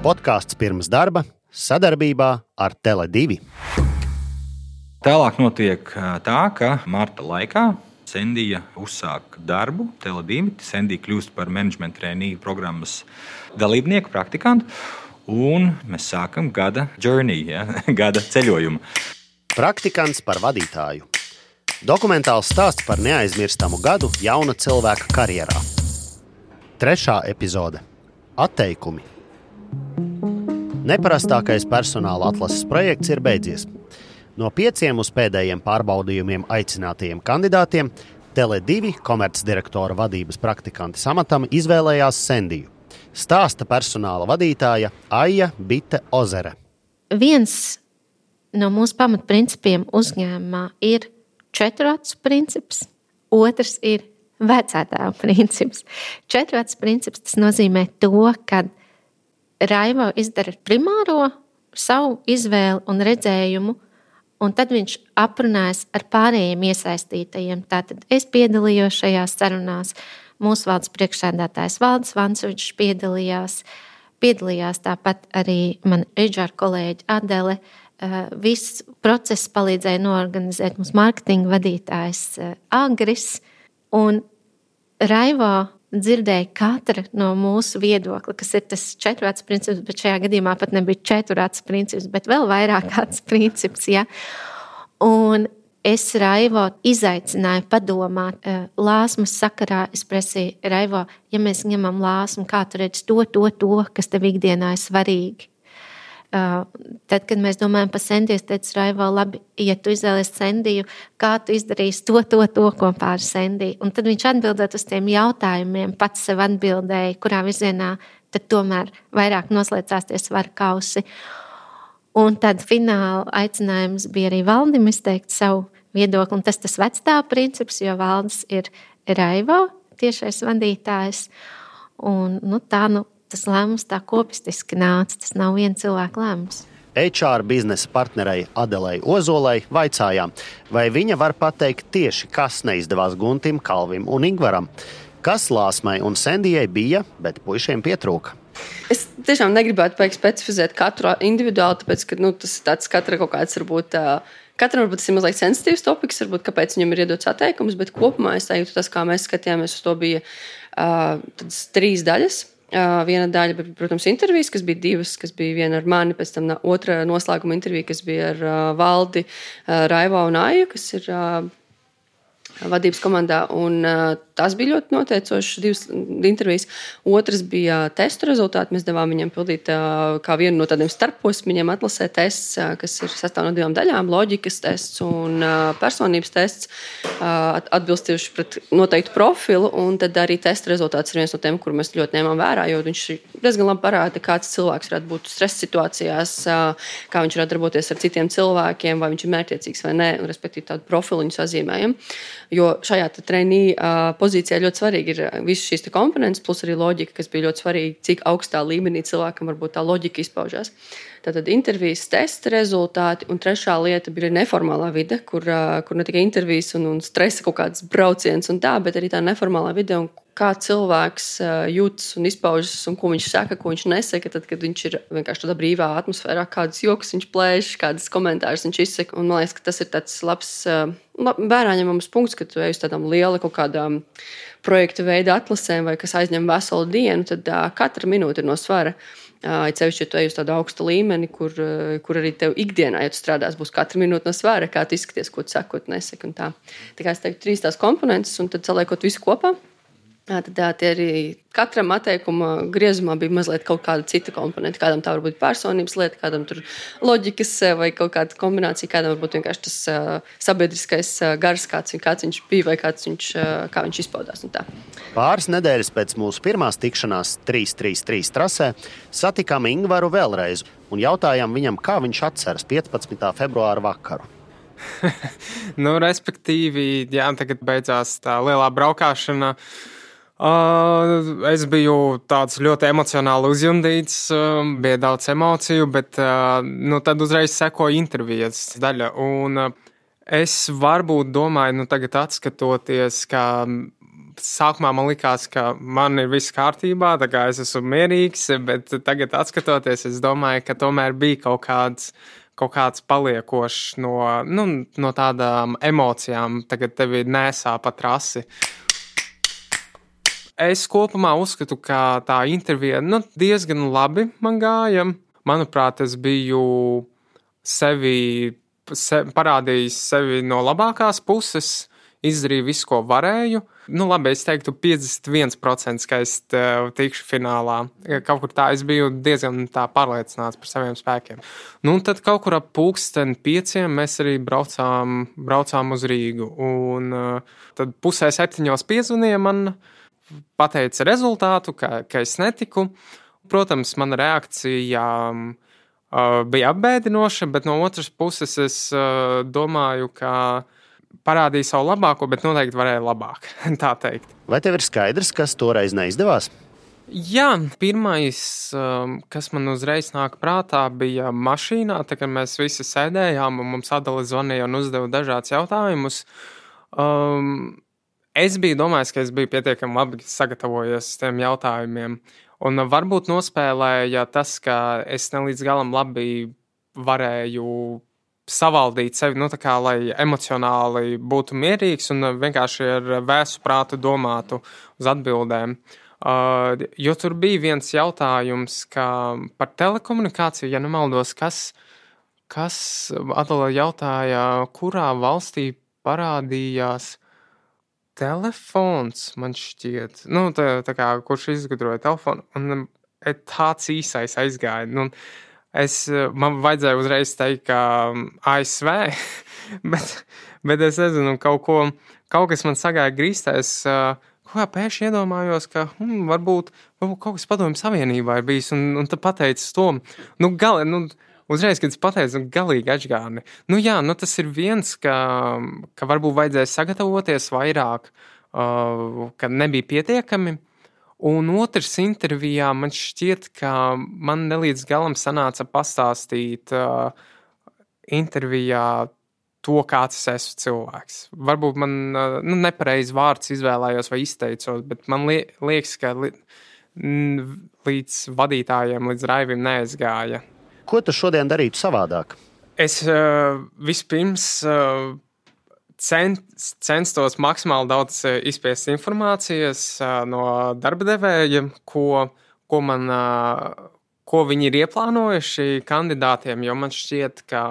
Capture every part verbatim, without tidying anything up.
Podkāsts pirms darba sadarbībā ar Tele divi. Tālāk notiek tā, ka marta laikā Sendija uzsāk darbu Tele divi. Sendija kļūst par menedžmenta trēnīju programmas dalībnieku, praktikantu, un mēs sākam gada journey, ja? Gada ceļojumu. Praktikants par vadītāju. Dokumentāls stāsts par neaizmirstamu gadu jauna cilvēka karjerā. Trešā epizode. Atteikumi. Neparastākais personāla atlases projekts ir beidzies. No pieciem uz pēdējiem pārbaudījumiem aicinātajiem kandidātiem Tele divi komercdirektora vadības praktikantes amatam izvēlējās Sendiju. Stāsta personāla vadītāja Aija Bite Ozere. Viens no mūsu pamatprincipiem uzņēmumā ir četru acu princips, otrs ir vecātāvu princips. Četru acu princips tas nozīmē to, ka Raivo izdara primāro savu izvēli un redzējumu, un tad viņš aprunājas ar pārējiem iesaistītajiem. Tātad es piedalījos šajās sarunās, mūsu valdes priekšsēdētājs Valdis Vancovičs piedalījās, piedalījās tāpat arī man H R kolēģi Adele. Viss process palīdzēja noorganizēt mums mārketinga vadītājs Agris, un Raivo dzirdēja katra no mūsu viedokļa, kas ir tas četru acu princips, bet šajā gadījumā pat nebija četru acu princips, bet vēl vairāk acu princips. Ja? Un es Raivo izaicināju padomāt lāsmas sakarā. Es prasīju, Raivo, ja mēs ņemam lāsmu, kā tu redzi to, to, to, kas tev ikdienā ir svarīgi. Tad, kad mēs domājam par Sendiju, es teicu, Raivo, labi, ja tu izvēlies Sendiju, kā tu izdarīsi to, to, to kopā ar Sendiju. Un tad viņš atbildot uz tiem jautājumiem, pats sev atbildēja, kurā virzienā tad tomēr vairāk noslēdzās tie svaru kausi. Un tad fināla aicinājums bija arī Valdim izteikt savu viedokli, un tas tas vecstāvu princips, jo Valdis ir Raivo tiešais vadītājs. Un nu, tā, nu, tas lēmums tā kopistiski nāca, tas nav viena cilvēka lēmums. H R biznesa partnerei Adelei Ozolei vaicājām, vai viņa var pateikt tieši, kas neizdevās Guntim, Kalvim un Ingvaram. Kas Lāsmai un Sendijai bija, bet puišiem pietrūka. Es tiešām negribētu paik specifizēt katru individuāli, tāpēc, ka nu, tas ir tāds katra kaut kāds varbūt, katram varbūt tas ir mazliet sensitīvs topiks, varbūt kāpēc viņam ir iedots atteikums, bet kopumā es teiktu, tas, kā mēs skatījāmies uz to, bija uh, tādas trīs daļas. Uh, viena daļa bija, protams, intervijas, kas bija divas, kas bija viena ar mani, pēc tam otra noslēguma intervija, kas bija ar uh, Valdi, uh, Raivo un Aiju, kas ir uh, vadības komandā, un uh, tas bija ļoti noteicošas divas intervijas. Otrs bija testu rezultāti. Mēs devām viņam pildīt uh, kā vienu no tādiem starposmiem, atlasē tests, uh, kas ir sastāv no divām daļām, loģikas tests un uh, personības tests, uh, atbilstoši pret noteiktu profilu, un tad arī testa rezultāts ir viens no tiem, kur mēs ļoti ņēmām vērā, jo viņš diezgan labi parāda, kāds cilvēks varētu būt stresa situācijās, uh, kā viņš varētu darboties ar citiem cilvēkiem, vai viņš ir mērķiecīgs vai nē, un respektīvi tādu profilu viņu sazīmējam. Jo šajā treinī uh, pozīcijā ļoti svarīgi ir visas šīs komponentes, plus arī loģika, kas bija ļoti svarīgi, cik augstā līmenī cilvēkam varbūt tā loģika izpaužās. Tātad intervijas testa rezultāti, un trešā lieta bija neformālā vide, kur, uh, kur ne tikai intervijas un, un stresa kaut kāds brauciens un tā, bet arī tā neformālā vide un kā cilvēks uh, jūtas un izpaužas un ko viņš saka, ko viņš nesaka, tad, kad viņš ir vienkārši tādā brīvā atmosfērā, kādas jokas viņš plēš, kādas komentārus viņš izsaka. Un man liekas, ka tas ir tāds labs, uh, lab, vērā ņemams punkts, ka tu ej uz tādām liela kaut kādām projektu veida atlasēm vai kas aizņem veselu dienu, tad uh, katra minūte ir no svara. Uh, cevišķi, ja tu ej uz tādu augstu līmeni, kur, uh, kur arī tev ikdienā, ja tu strādās, būs katra minūte no svara, kā tu izskaties, ko tu saki, ko tu nesaki un tā. Tā kā es teiktu trīs tās komponentes un tad saliekot visu kopā. Tad tie arī katram atteikuma griezumā bija mazliet kaut kāda cita komponenta. Kādam tā var būt personības lieta, kādam tur loģikas vai kaut kāda kombinācija, kādam varbūt vienkārši tas uh, sabiedriskais uh, gars, kāds, kāds viņš bija vai kāds viņš, uh, kā viņš izpaudās. Un tā. Pāris nedēļas pēc mūsu pirmās tikšanās trīs trīs trīs trasē satikām Ingvaru vēlreiz un jautājām viņam, kā viņš atceras piecpadsmitā februāra vakaru. nu, respektīvi, jā, tagad beidzās tā lielā braukāšana. Uh, es biju tāds ļoti emocionāli uzjundīts, uh, bija daudz emociju, bet uh, nu, tad uzreiz sekoja intervijas daļa. Un uh, es varbūt domāju, nu tagad atskatoties, ka sākumā man likās, ka man ir viss kārtībā, tā kā es esmu mierīgs, bet tagad, atskatoties, es domāju, ka tomēr bija kaut kāds, kaut kāds paliekošs no, nu, no tādām emocijām. Tagad tevi nesā pa trasi. Es kopumā uzskatu, ka tā intervija nu, diezgan labi man gāja. Manuprāt, es biju sevi, se, parādījis sevi no labākās puses, izdarīju visu, ko varēju. Nu, labi, es teiktu piecdesmit viens procents, ka es tikšu finālā. Kaut kur tā, es biju diezgan tā pārliecināts par saviem spēkiem. Nu, tad kaut kur ap pulksteni pieciem mēs arī braucām, braucām uz Rīgu. Un tad pusē septiņos piezvanīja man, pateica rezultātu, ka, ka es netiku. Protams, mana reakcija uh, bija apbēdinoša, bet no otras puses es uh, domāju, ka parādīja savu labāko, bet noteikti varēja labāk, tā teikt. Vai tev ir skaidrs, kas toreiz neizdevās? Jā, pirmais, um, kas man uzreiz nāk prātā, bija mašīnā, tā kā mēs visi sēdējām un mums Adele zvanīja un uzdeva dažādus jautājumus. Um, Es biju domājis, ka es biju pietiekami labi sagatavojies tiem jautājumiem. Un varbūt nospēlēja tas, ka es ne līdz galam labi varēju savaldīt sevi, nu tā kā, lai emocionāli būtu mierīgs un vienkārši ar vēsu prātu domātu uz atbildēm. Uh, jo tur bija viens jautājums, ka par telekomunikāciju, ja nemaldos, kas, kas Adele jautāja, kurā valstī parādījās telefons, man šķiet, nu, tā, tā kā, kurš izgudroja telefonu, un tāds īsais aizgāja. Nu, es, man vajadzēja uzreiz teikt, ka A S V, bet, bet es nezinu, kaut ko, kaut kas man sagāja grīstā, es kaut kā pēkšņi iedomājos, ka hmm, varbūt, varbūt kaut kas Padomju Savienībā ir bijis, un, un tad pateicis to, nu, gali, nu, uzreiz, kad es pateicu, nu, galīgi atžgāni. Nu jā, nu tas ir viens, ka, ka varbūt vajadzēja sagatavoties vairāk, uh, ka nebija pietiekami. Un otrs intervijā man šķiet, ka man nelīdz galam sanāca pastāstīt uh, intervijā to, kāds es esmu cilvēks. Varbūt man uh, nu, nepareizi vārds izvēlējos vai izteicos, bet man li- liekas, ka li- līdz vadītājiem, līdz raivim neaizgāja. Ko tu šodien darītu savādāk? Es uh, vispirms uh, cent, censtos maksimāli daudz uh, izspiest informācijas uh, no darba devēja, ko, ko, man, uh, ko viņi ir ieplānojuši kandidātiem, jo man šķiet, ka,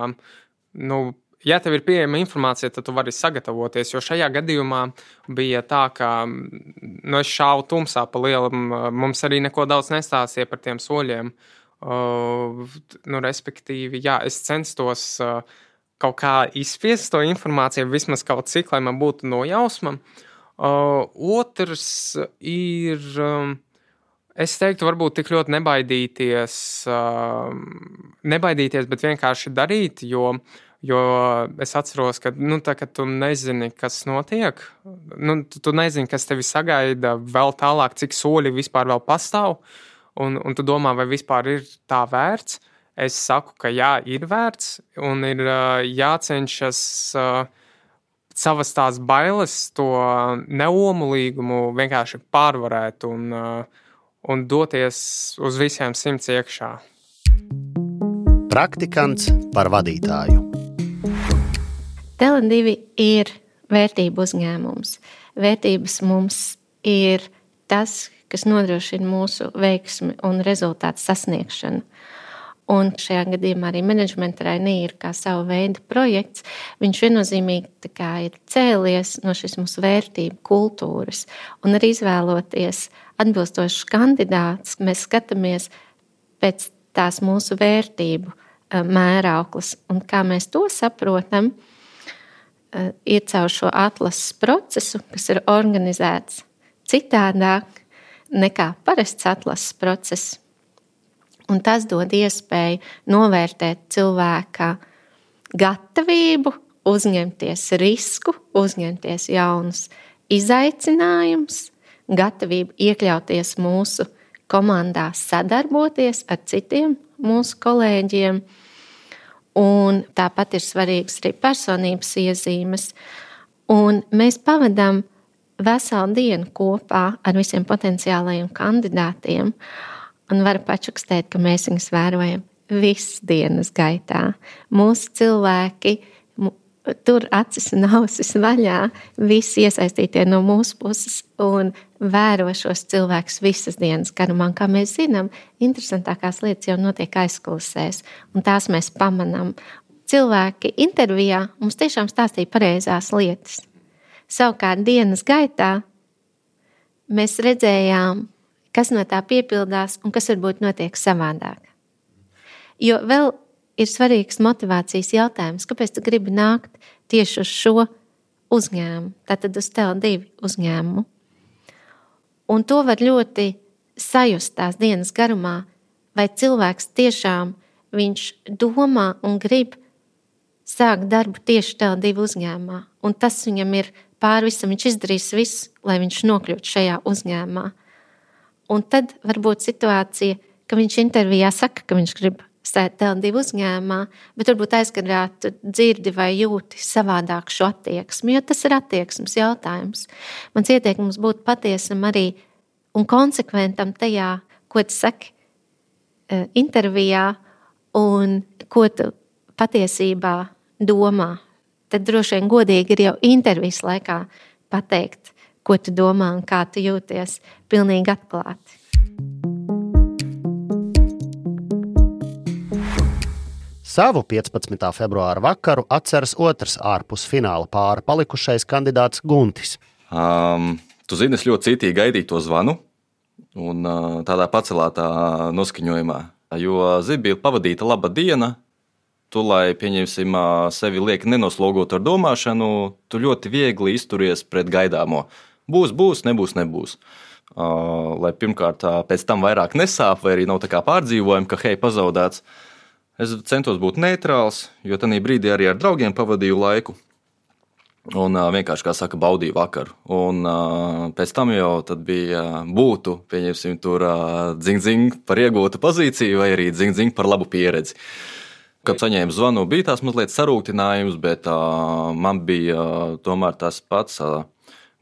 nu, ja tev ir pieejama informācija, tad tu vari sagatavoties, jo šajā gadījumā bija tā, ka nu, es šāvu tumsā pa lielam, mums arī neko daudz nestāstīja par tiem soļiem. Uh, nu, respektīvi, jā, es censtos uh, kaut kā izspiest to informāciju, vismaz kaut cik, lai man būtu nojausma. Uh, otrs ir, um, es teiktu, varbūt tik ļoti nebaidīties, uh, nebaidīties, bet vienkārši darīt, jo, jo es atceros, ka, nu, tā, ka tu nezini, kas notiek, nu, tu, tu nezini, kas tevi sagaida vēl tālāk, cik soļi vispār vēl pastāv. Un, un tu domā, vai vispār ir tā vērts? Es saku, ka jā, ir vērts, un ir uh, jācenšas uh, savas tās bailes, to neomulīgumu vienkārši pārvarēt un, uh, un doties uz visiem simts iekšā. Praktikants par vadītāju. Tele divi ir vērtību uzņēmums. Vērtības mums ir tas, kas nodrošina mūsu veiksmi un rezultātu sasniegšanu. Un šajā gadījumā arī menedžment trainee ir kā sava veida projekts. Viņš viennozīmīgi tā kā ir cēlies no šīs mūsu vērtību kultūras. Un arī izvēloties atbilstošus kandidātus, mēs skatāmies pēc tās mūsu vērtību mērauklas. Un kā mēs to saprotam, ir caur šo atlases procesu, kas ir organizēts citādāk nekā parasts atlases process. Un tas dod iespēju novērtēt cilvēka gatavību, uzņemties risku, uzņemties jaunus izaicinājumus, gatavību iekļauties mūsu komandā, sadarboties ar citiem mūsu kolēģiem. Un tāpat ir svarīgas arī personības iezīmes. Un mēs pavadām veselu dienu kopā ar visiem potenciālajiem kandidātiem un varu pačukstēt, ka mēs viņus vērojam visas dienas gaitā. Mūsu cilvēki tur acis un ausis vaļā, visi iesaistītie no mūsu puses un vēro šos cilvēkus visas dienas garumā. Kā mēs zinām, interesantākās lietas jau notiek aizkulisēs, un tās mēs pamanām. Cilvēki intervijā mums tiešām stāstīja pareizās lietas. Savukārt dienas gaitā mēs redzējām, kas no tā piepildās un kas varbūt notiek savādāk. Jo vēl ir svarīgs motivācijas jautājums, kāpēc tu gribi nākt tieši uz šo uzņēmumu, tātad uz T L divi uzņēmumu. Un to var ļoti sajust tās dienas garumā, vai cilvēks tiešām viņš domā un grib sākt darbu tieši T L divi uzņēmumā. Un tas viņam ir pāri visam, viņš izdarīs visu, lai viņš nokļūtu šajā uzņēmumā. Un tad var būt situācija, ka viņš intervijā saka, ka viņš grib stāt T L divi uzņēmumā, bet varbūt aizkarā tu dzirdi vai jūti savādāk šo attieksmi, jo tas ir attieksmes jautājums. Mans ieteikums būtu patiesam arī un konsekventam tajā, ko tu saki intervijā un ko tu patiesībā domā. Tad droši vien godīgi ir jau intervijas laikā pateikt, ko tu domā un kā tu jūties pilnīgi atklāti. Savu piecpadsmitā februāra vakaru atceras otrs ārpus fināla pāra palikušais kandidāts Guntis. Um, tu zini, es ļoti citīgi gaidīju to zvanu un uh, tādā pacelātā noskaņojumā, jo Zibila pavadīta laba diena, tu, lai, pieņemsim, sevi lieki nenoslogot ar domāšanu, tu ļoti viegli izturies pret gaidāmo. Būs, būs, nebūs, nebūs. Uh, lai pirmkārt pēc tam vairāk nesāp vai arī nav tā kā pārdzīvojumi, ka hei, pazaudēts. Es centos būt neitrāls, jo tajā brīdī arī ar draugiem pavadīju laiku un uh, vienkārši, kā saka, baudīju vakaru. Un uh, pēc tam jau tad bija uh, būtu, pieņemsim, tur uh, dzing-dzing par iegūtu pozīciju vai arī dzing-dzing par labu pieredzi. Kad saņēmu zvanu, bija tās mazliet sarūktinājums, bet uh, man bija uh, tomēr tas pats uh,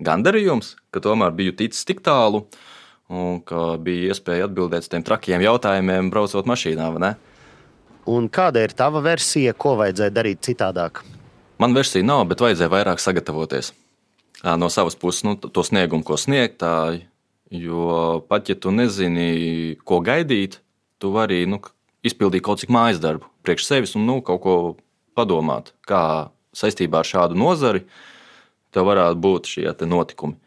gandarījums, ka tomēr biju ticis tik tālu un ka bija iespēja atbildēt uz tiem trakiem jautājumiem, braucot mašīnā, vai ne? Un kāda ir tava versija, ko vajadzēja darīt citādāk? Man versija nav, bet vajadzēja vairāk sagatavoties. No savas puses, nu, to sniegumu, ko sniegt, jo pat ja tu nezini, ko gaidīt, tu vari nu, izpildīt kaut cik mājas darbu priekš sevis un nu, kaut ko padomāt, kā saistībā ar šādu nozari tev varētu būt šie te notikumi.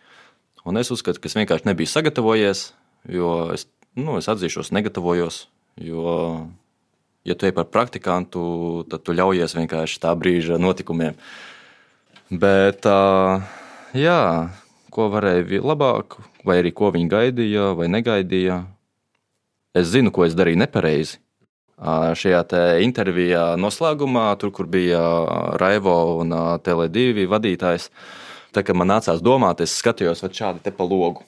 Un es uzskatu, ka es vienkārši nebiju sagatavojies, jo es, nu, es atzīšos, negatavojos, jo... Ja tu ej par praktikantu, tad tu ļaujies vienkārši tā brīža notikumiem. Bet, jā, ko varēja labāk, vai arī ko viņi gaidīja vai negaidīja. Es zinu, ko es darīju nepareizi. Šajā te intervijā noslēgumā, tur, kur bija Raivo un T L divi vadītājs, tā kā man nācās domāt, es skatījos vat šādi te pa logu.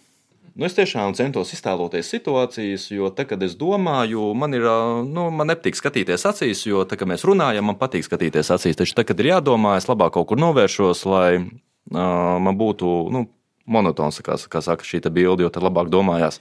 Nu, es tiešām centos iztēloties situācijas, jo tā, kad es domāju, man, ir, nu, man nepatīk skatīties acīs, jo tā, kad mēs runājam, man patīk skatīties acīs. Taču tā, kad ir jādomā, es labāk kaut kur novēršos, lai uh, man būtu nu, monotons, kā, kā saka šī bilde, jo tad labāk domājās.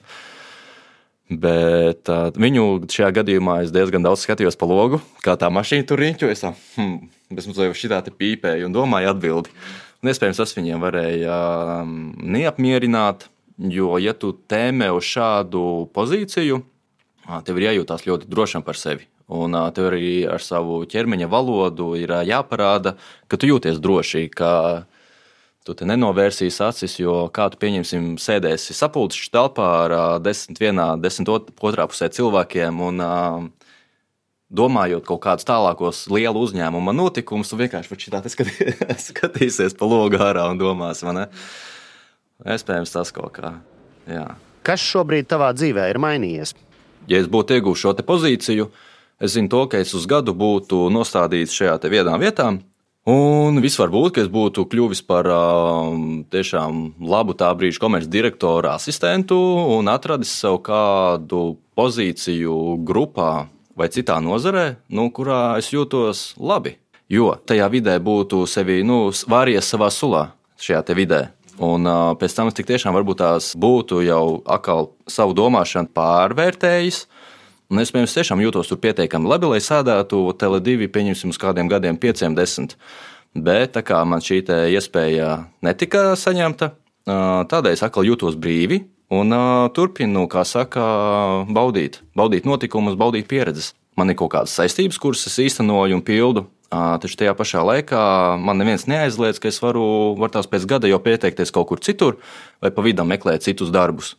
Bet uh, viņu šajā gadījumā es diezgan daudz skatījos pa logu, kā tā mašīna tur riņķo. Es tā, hmm, es mums jau šitā te pīpēju un domāju atbildi. Un iespējams, tas viņiem varēja um, neapmierināt. Jo, ja tu tēmē uz šādu pozīciju, tev ir jājūtās ļoti drošam par sevi. Un tev arī ar savu ķermeņa valodu ir jāparāda, ka tu jūties droši, ka tu te nenovērsīs acis, jo kā tu pieņemsim sēdēsi sapulces telpā ar desmit vienā, desmit otrā pusē cilvēkiem un domājot kaut kādus tālākos lielu uzņēmuma notikumus, tu vienkārši šitā te skatīsies pa logu ārā un domās, vai ne? Iespējams tas kaut kā, jā. Kas šobrīd tavā dzīvē ir mainījies? Ja es būtu ieguvis šo te pozīciju, es zinu to, ka es uz gadu būtu nostādīts šajā te vienā vietā, un viss var būt, ka es būtu kļuvis par um, tiešām labu tā brīža komerces direktora asistentu un atradis sev kādu pozīciju grupā vai citā nozarē, nu, kurā es jūtos labi, jo tajā vidē būtu sevi, nu, vāries savā sulā šajā te vidē. Un uh, pēc tam es tik tiešām varbūt tās būtu jau atkal savu domāšanu pārvērtējis. Un es, piemēram, tiešām jūtos tur pietiekami labi, lai sēdētu Tele divi, pieņemsim, uz kādiem gadiem, pieciem, desmit. Bet tā kā man šī iespēja netika saņemta, tādēļ es atkal jūtos brīvi un turpinu, kā saka, baudīt, baudīt notikumus, baudīt pieredzes. Man ir kaut kādas saistības, kuras es īstenoju un pildu. Taču tajā pašā laikā man neviens neaizliedz, ka es varu, var tās pēc gada jau pieteikties kaut kur citur vai pa vidam meklēt citus darbus.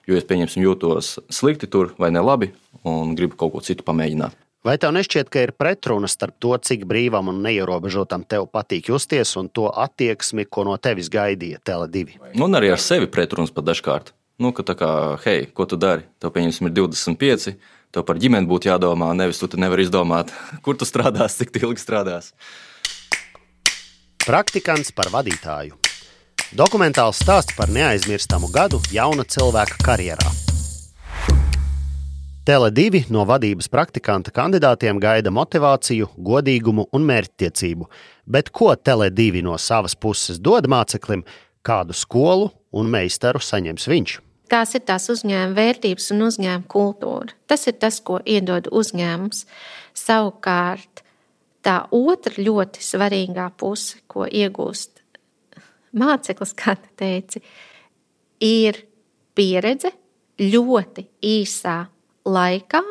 Jo es, pieņemsim, jūtos slikti tur vai nelabi un gribu kaut ko citu pamēģināt. Vai tev nešķiet, ka ir pretruna starp to, cik brīvam un neierobežotam tev patīk justies un to attieksmi, ko no tevis gaidīja Tele divi? Un arī ar sevi pretrunas pat dažkārt. Nu, ka tā kā, hei, ko tu dari? Tev, pieņemsim, ir divdesmit pieci. Tev par ģimeni būtu jādomā, nevis tu te nevari izdomāt, kur tu strādās, cik ilgi strādās. Praktikants par vadītāju. Dokumentāls stāsts par neaizmirstamu gadu jauna cilvēka karjerā. Tele divi no vadības praktikanta kandidātiem gaida motivāciju, godīgumu un mērķtiecību. Bet ko Tele divi no savas puses dod māceklim, kādu skolu un meistaru saņems viņš? Tās ir tās uzņēmuma vērtības un uzņēmuma kultūra. Tas ir tas, ko iedod uzņēmums. Savukārt, tā otra ļoti svarīgā puse, ko iegūst māceklis, kā tu teici, ir pieredze ļoti īsā laikā,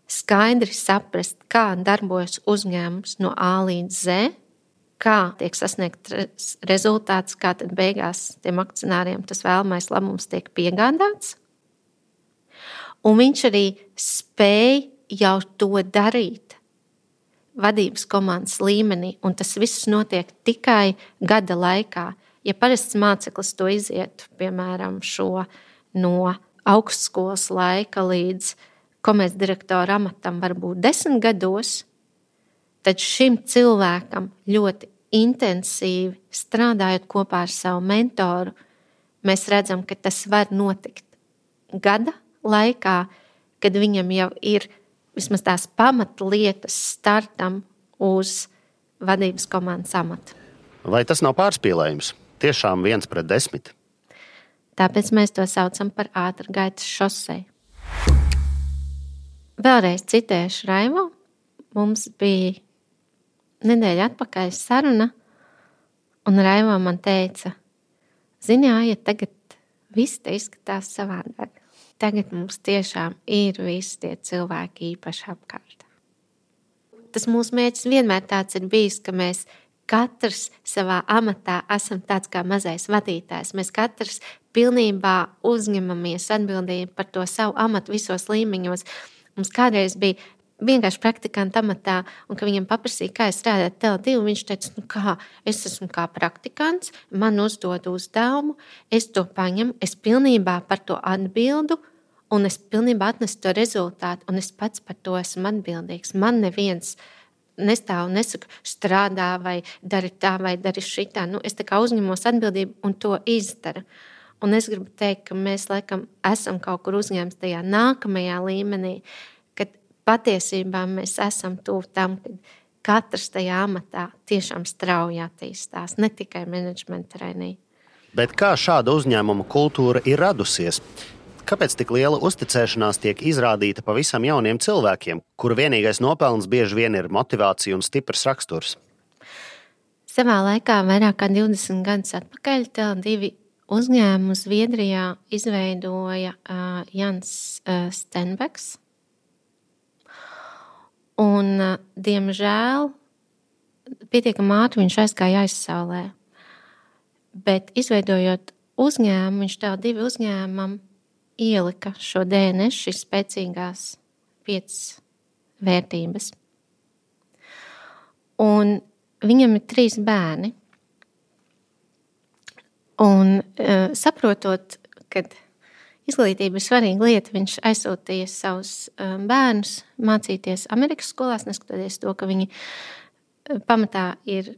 skaidri saprast, kā darbojas uzņēmums no A līdz Z, kā tiek sasniegts rezultāts, kā tad beigās tiem akcionāriem tas vēlamais labums tiek piegādāts. Un viņš arī spēj jau to darīt vadības komandas līmenī, un tas viss notiek tikai gada laikā. Ja parasts māceklis to iziet, piemēram, šo no augstskolas laika līdz komercdirektora amatam varbūt desmit gados, tad šim cilvēkam ļoti intensīvi strādājot kopā ar savu mentoru, mēs redzam, ka tas var notikt gada laikā, kad viņam jau ir vismaz tās pamatlietas startam uz vadības komandas amatu. Vai tas nav pārspīlējums? Tiešām viens pret desmit. Tāpēc mēs to saucam par ātrgaitas šoseju. Vēlreiz citēšu Raivo. Mums bija nedēļa atpakaļ saruna, un Raivo man teica, zini, ja tagad viss te izskatās savādāk. Tagad mums tiešām ir visi tie cilvēki īpaši apkārt. Tas mūsu mērķis vienmēr tāds ir bijis, ka mēs katrs savā amatā esam tāds kā mazais vadītājs. Mēs katrs pilnībā uzņemamies atbildību par to savu amatu visos līmeņos. Mums kādreiz bija vienkārši praktikanta amatā, un ka viņam paprasīja, kā es strādāju Tele divi, viņš teica, nu kā, es esmu kā praktikants, man uzdod uzdevumu, es to paņemu, es pilnībā par to atbildu, un es pilnībā atnesu to rezultātu, un es pats par to esmu atbildīgs. Man neviens nestāv un nesaka, strādā vai dari tā vai dari šitā. Nu, es tā kā uzņemos atbildību un to izdaru. Un es gribu teikt, ka mēs laikam esam kaut kur uzņēmis tajā nākamajā līmenī, kad patiesībā mēs esam tuvu tam, kad katrs tajā amatā tiešām strauji attīstās, ne tikai menedžmenta trainī. Bet kā šāda uzņēmuma kultūra ir radusies? Kāpēc tik liela uzticēšanās tiek izrādīta pavisam jauniem cilvēkiem, kuru vienīgais nopelns bieži vien ir motivācija un stiprs raksturs? Savā laikā, vairāk kā divdesmit gadus atpakaļ, Tele divi uzņēmumu Zviedrijā izveidoja uh, Jans uh, Stenbeks. Un, uh, diemžēl, pietiekami ātri viņš aizgāja aizsaulē. Bet izveidojot uzņēmumu, viņš Tele divi uzņēmumam ielika šo D N S, šīs spēcīgās piecas vērtības. Un viņam ir trīs bērni. Un uh, saprotot, ka izglītība ir svarīga lieta, viņš aizsūtīja savus uh, bērnus mācīties Amerikas skolās, neskatoties to, ka viņi uh, pamatā ir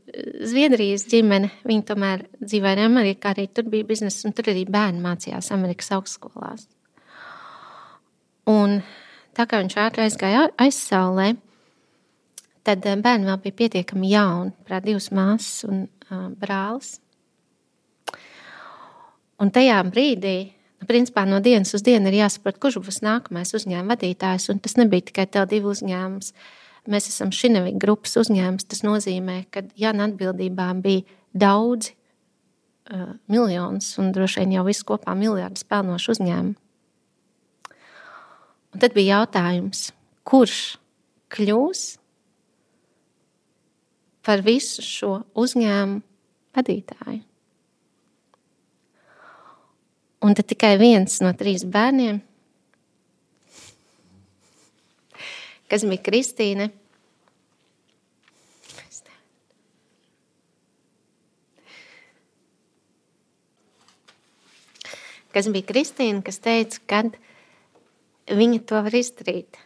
Zviedrijas ģimene. Viņi tomēr dzīvoja Amerikā, arī tur bija biznesa, un tur arī bērni mācījās Amerikas augstskolās. Un tā kā viņš ātri aizgāja aizsaulē, tad uh, bērni vēl bija pietiekami jauni, prāt divas māsas un uh, brālis. Un tajā brīdī, principā no dienas uz dienu ir jāsaprot, kurš būs nākamais uzņēmuma vadītājs. Un tas nebija tikai T L divi uzņēmums. Mēs esam Šinevik grupas uzņēmums. Tas nozīmē, ka Jana atbildībā bija daudzi uh, miljonus un droši vien jau visu kopā miljardus pelnošu uzņēmumu. Un tad bija jautājums, kurš kļūs par visu šo uzņēmumu vadītāju. Un tad tikai viens no trīs bērniem, kas bija Kristīne, kas bija Kristīne, kas teica, kad viņa to var izdarīt.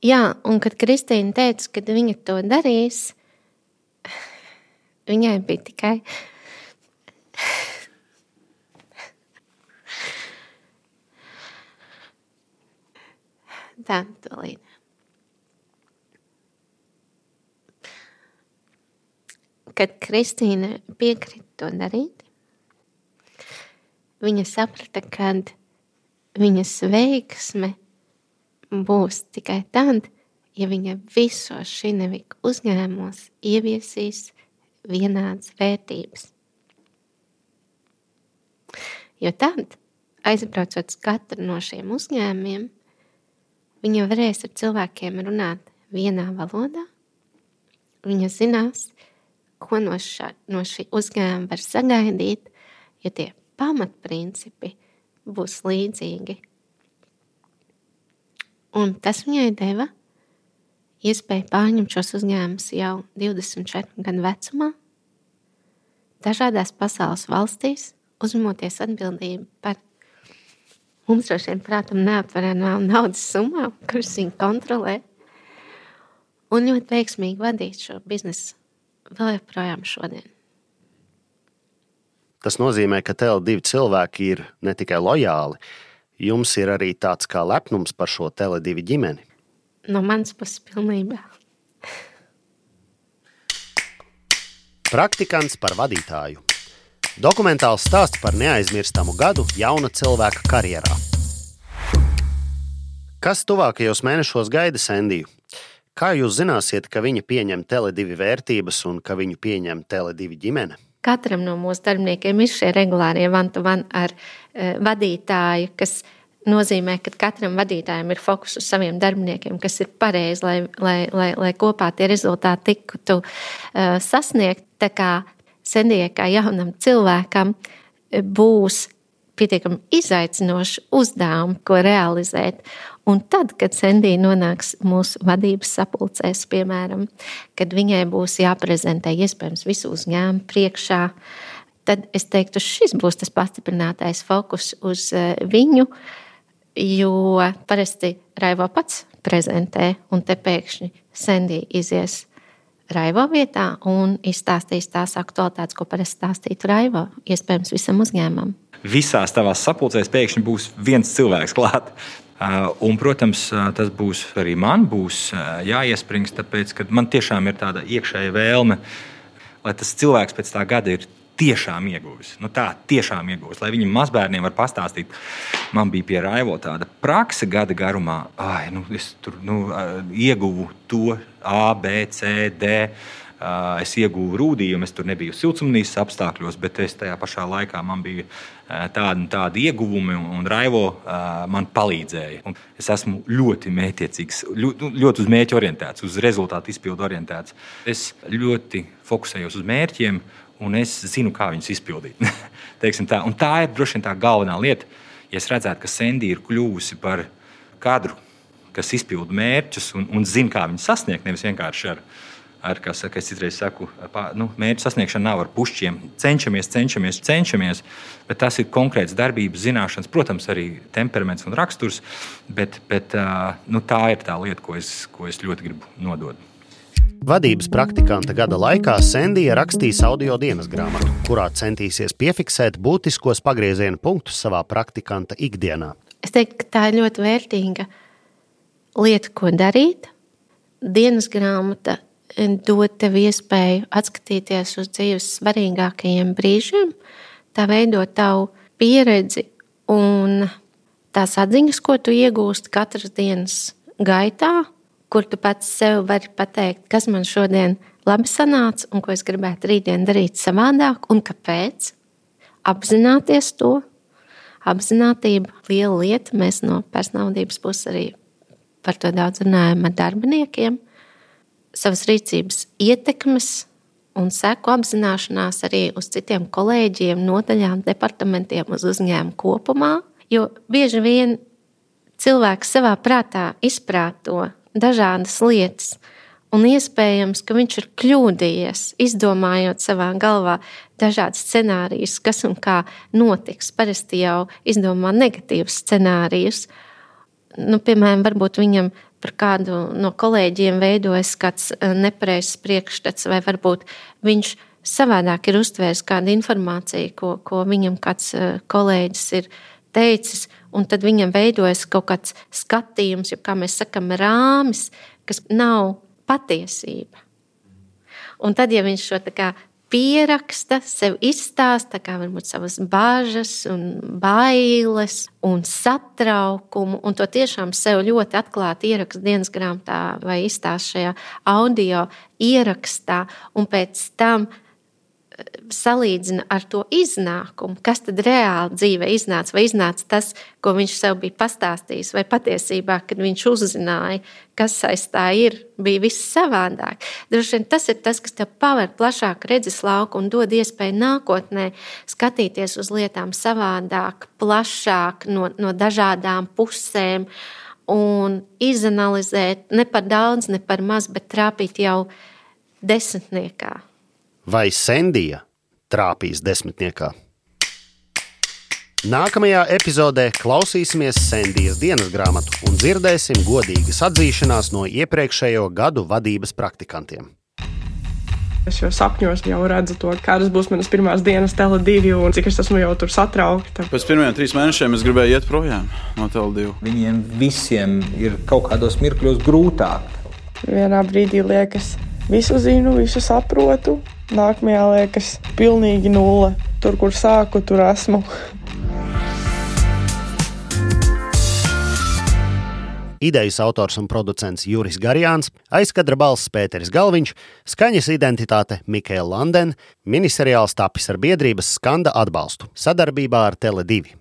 Jā, un kad Kristīna teica, ka viņa to darīs, viņai bija tikai tā, tolīt. Kad Kristīna piekrita to darīt, viņa saprata, kad viņas veiksme būs tikai tad, ja viņa visos Šinevik uzņēmumos ieviesīs vienādas vērtības. Jo tad, aizbraucot uz katru no šiem uzņēmumiem, viņa varēs ar cilvēkiem runāt vienā valodā. Viņa zinās, ko no, šā, no šī uzņēmuma var sagaidīt, jo tie pamatprincipi būs līdzīgi. Un tas viņai deva iespēju pārņemt šos uzņēmumus jau divdesmit četru gadu vecumā, dažādās pasaules valstīs, uzņemoties atbildību par mums droši vien prātam neaptveramām naudas summām, kuras viņi kontrolē, un ļoti veiksmīgi vadīt šo biznesu vēl joprojām šodien. Tas nozīmē, ka T L divi cilvēki ir ne tikai lojāli, jums ir arī tāds kā lepnums par šo T L divi ģimeni. No manas puses pilnībā. Praktikants par vadītāju. Dokumentāls stāsts par neaizmirstamu gadu jauna cilvēka karjerā. Kas tuvākajos mēnešos gaida Sendiju? Kā jūs zināsiet, ka viņa pieņem T L divi vērtības un ka viņu pieņem T L divi ģimene? Katram no mūsu darbiniekiem ir šie regulārie one-to-one ar uh, vadītāju, kas nozīmē, ka katram vadītājam ir fokus uz saviem darbiniekiem, kas ir pareizi, lai, lai, lai, lai kopā tie rezultāti tiktu uh, sasniegt. Tā kā Sendijai kā jaunam cilvēkam būs pietiekami izaicinoši uzdevumi, ko realizēt. Un tad, kad Sendija nonāks mūsu vadības sapulcēs, piemēram, kad viņai būs jāprezentē iespējams visu uzņēmumu priekšā, tad es teiktu, šis būs tas pastiprinātais fokus uz viņu, jo parasti Raivo pats prezentē, un te pēkšņi Sendija izies Raivo vietā un izstāstīs tās aktualitātes, ko parasti stāstītu Raivo, iespējams visam uzņēmumam. Visās tavās sapulcēs pēkšņi būs viens cilvēks klāt. Un, protams, tas būs arī man būs jāiesprings, tāpēc, ka man tiešām ir tāda iekšēja vēlme, lai tas cilvēks pēc tā gada ir tiešām ieguvis. Nu tā, tiešām ieguvis. Lai viņam mazbērniem var pastāstīt, man bija pie Raivo tāda prakse gada garumā, ai, nu, es tur nu, ieguvu to A, B, C, D. Es ieguvu rūdījumu, es tur nebiju siltumnīcas apstākļos, bet es tajā pašā laikā man bija tādi, tādi ieguvumi, un Raivo man palīdzēja. Un es esmu ļoti mētiecīgs, ļoti, ļoti uz mērķi orientēts, uz rezultātu izpildu orientēts. Es ļoti fokusējos uz mērķiem, un es zinu, kā viņus izpildīt. Teiksim tā. Un tā ir droši vien tā galvenā lieta. Ja es redzētu, ka Sendija ir kļuvusi par kadru, kas izpilda mērķus un, un zina, kā viņus sasniegt, nevis vienkārši ar Ar, kā saka, es citreiz saku, nu, mērķu sasniegšana nav ar pušķiem. Cenšamies, cenšamies, cenšamies, bet tas ir konkrēts darbības zināšanas, protams, arī temperaments un raksturs, bet, bet nu, tā ir tā lieta, ko es, ko es ļoti gribu nodot. Vadības praktikanta gada laikā Sendija rakstīs audio dienas grāmatu, kurā centīsies piefiksēt būtiskos pagrieziena punktus savā praktikanta ikdienā. Es teiktu, ka tā ir ļoti vērtīga lieta, ko darīt. Dienas grāmata dod tev iespēju atskatīties uz dzīves svarīgākajiem brīžiem, tā veido tavu pieredzi un tās atziņas, ko tu iegūsti katras dienas gaitā, kur tu pats sev vari pateikt, kas man šodien labi sanāca un ko es gribētu rītdien darīt savādāk un kāpēc. Apzināties to. Apzinātība liela lieta. Mēs no personālvadības puses arī par to daudz runājam ar darbiniekiem. Savas rīcības ietekmes un seku apzināšanās arī uz citiem kolēģiem, nodaļām, departamentiem, uz uzņēmumu kopumā. Jo bieži vien cilvēks savā prātā izprāto dažādas lietas, un iespējams, ka viņš ir kļūdījies, izdomājot savā galvā dažādas scenārijus, kas un kā notiks. Parasti jau izdomā negatīvus scenārijus. Nu, piemēram, varbūt viņam par kādu no kolēģiem veidojas kāds nepareizs priekšstats, vai varbūt viņš savādāk ir uztvērs kādu informāciju, ko, ko viņam kāds kolēģis ir teicis, un tad viņam veidojas kaut kāds skatījums, jo, kā mēs sakam, rāmis, kas nav patiesība. Un tad, ja viņš šo tā kā pieraksta, sev izstāsta, kā varbūt savas bāžas un bailes un satraukumu, un to tiešām sev ļoti atklāti ieraksta dienas grāmatā vai izstāsta šajā audio ierakstā, un pēc tam salīdzina ar to iznākumu, kas tad reāli dzīvē iznāca, vai iznāca tas, ko viņš sev bija pastāstījis, vai patiesībā, kad viņš uzzināja, kas aiz tā ir, bija viss savādāk. Droši vien tas ir tas, kas tev paver plašāku redzes lauku un dod iespēju nākotnē skatīties uz lietām savādāk, plašāk, no, no dažādām pusēm un izanalizēt ne par daudz, ne par maz, bet trāpīt jau desmitniekā. Vai Sendija trāpīs desmitniekā? Nākamajā epizodē klausīsimies Sendijas dienas grāmatu un dzirdēsim godīgas atzīšanās no iepriekšējo gadu vadības praktikantiem. Es jau sapņos jau redzu to, kādas būs manas pirmās dienas Tele divi un cik es esmu jau tur satraukta. Pēc pirmajiem trīs mēnešiem es gribēju iet projām no Tele divi. Viņiem visiem ir kaut kādos mirkļos grūtāk. Vienā brīdī liekas, visu zinu, visu saprotu. Nākamajā liekas pilnīgi nulle. Tur, kur sāku, tur esmu. Idejas autors un producents Juris Garjāns, aizkadra balss Pēteris Galviņš, skaņas identitāte Mikaela Landen, miniseriāls tapis ar biedrības Skanda atbalstu sadarbībā ar Tele divi.